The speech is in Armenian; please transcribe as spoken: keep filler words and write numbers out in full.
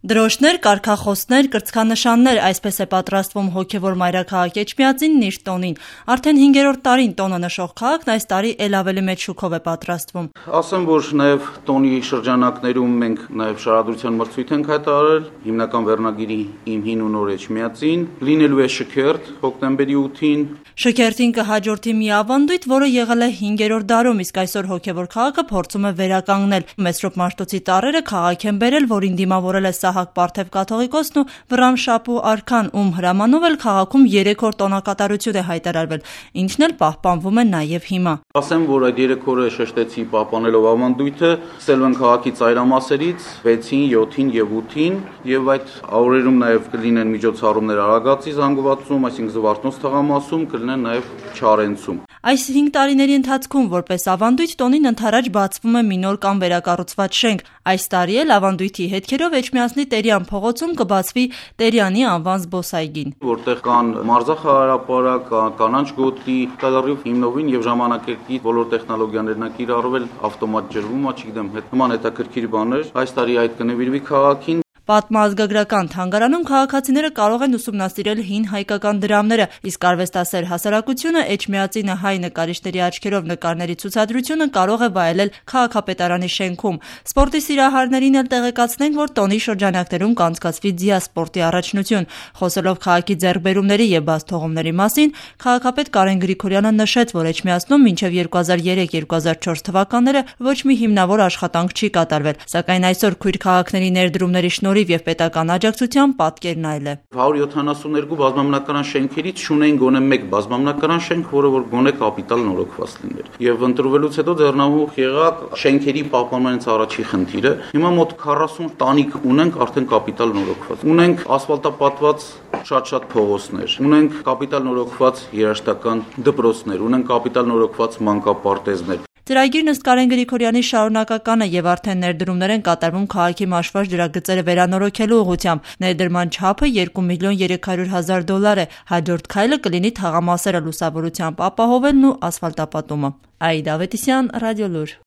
Դրոշներ, կարգախոսներ, կրծքանշաններ, այսպես է պատրաստվում հոգևոր մայրաքաղաք Էջմիածինն իր տոնին։ Արդեն հինգերորդ տարին տոնը նշող քաղաքն այս տարի էլ ավելի մեծ շուքով է պատրաստվում։ Ասեմ, որ նաև տոնի շրջանակներում մենք նաև շարադրության մրցույթ ենք հայտարարել, հիմնական վերնագիրի «Իմ հին ու նոր Էջմիածին», լինելու է շքերթ հոկտեմբերի ութին։ Շքերթին կհաջորդի մի ավանդույթ, որը եղել է հինգերորդ դարում, իսկ այսօր հոգևոր քաղաքը փորձում է վերականգնել։ Մեսրոպ Մաշտոցի տառերը քաղաք են բերել, որին դիմավորել է Սահակ Պարթև կաթողիկոսն ու Վռամշապու արքան, ում հրամանով էլ քաղաքում երեք օր տոնակատարություն է հայտարարվել, ինչն էլ պահպանվում է նաև հիմա։ Ասեմ, որ այդ երեք օրը շեշտեցի պահպանելով ավանդույթը, սկսել են քաղաքի ծայրամասերից վեցին, յոթին եւ ութին, եւ այդ օրերում նաև կլինեն միջոցառումներ Արագածի զանգվածում, այսինքն Զվարթնոց թաղամասում, կլինեն նաև Չարենցում։ Այս հինգ տարիների ընթացքում որպես ավանդույթ տոնին ընդառաջ բացվում է մի նոր կամ վերակառուցված շենք։ Այս տարի էլ ավանդույթի հետքերով Էջմիածնի Տերյան փողոցում կբացվի Տերյանի անվան զբոսայգին, որտեղ կան մարզախաղարապարակ, կանանչ գոտի, կալարիվ հիմնովին եւ ժամանակակից բոլոր տեխնոլոգիաներն ա կիրառվել, ավտոմատ ջրվում, չգիտեմ, նման հետաքրքիր բաներ։ Այս տարի այդ կնվիրվի քաղաքին։ Պատմազգագրական թանգարանում քաղաքացիները կարող են ուսումնասիրել հին հայկական դրամները, իսկ արվեստասեր հասարակությունը Էջմիածինը հայ նկարիչների աչքերով նկարների ցուցադրությունը կարող է վայելել քաղաքապետարանի շենքում։ Սպորտի սիրահարներին էլ տեղեկացնենք, որ տոնի շրջանակներում կանցկացվի ձիասպորտի առաջնություն։ Խոսելով քաղաքի ձեռքբերումների եւ բացթողումների մասին, քաղաքապետ Կարեն Գրիգորյանը նշեց, որ Էջմիածնում մինչեւ երկու հազար երեք երկու հազար չորս թվականները ոչ մի հիմնավոր աշխատանք չի կատարվել, սակայն այսօր քույր քաղաքների ներդրումների շնորհիվ եւ պետական աջակցությամբ պատկերն այլ է։ հարյուր յոթանասուններկու բազմամնակարան շենքերից շունեն գոնե մեկ բազմամնակարան շենք, որը որ գոնե կապիտալ նորոգված լիներ։ Եվ ընտրվելուց հետո ձեռնամուխ եղավ շենքերի պահպանմանից առաջի խնդիրը։ Հիմա մոտ քառասուն տանիք ունենք արդեն կապիտալ նորոգված։ Ունենք ասֆալտապատված շատ-շատ փողոցներ, ունենք կապիտալ նորոգված երաժշտական դպրոցներ, ունենք կապիտալ նորոգված մանկապարտեզներ։ Ծրագիրն ըստ Կարեն Գրիգորյանի շարունակական է եւ արդեն ներդրումներ են կատարվում քաղաքի մաշված ջրագծերը վերանորոգելու ուղղությամբ։ Ներդրման չափը երկու միլիոն երեք հարյուր հազար դոլար է։ Հաջորդ քայլը կլինի թաղամասերը լուսավորությամբ ապահովելն ու ասֆալտապատումը։ Աիդա Ավետիսյան, Ռադիոլուր։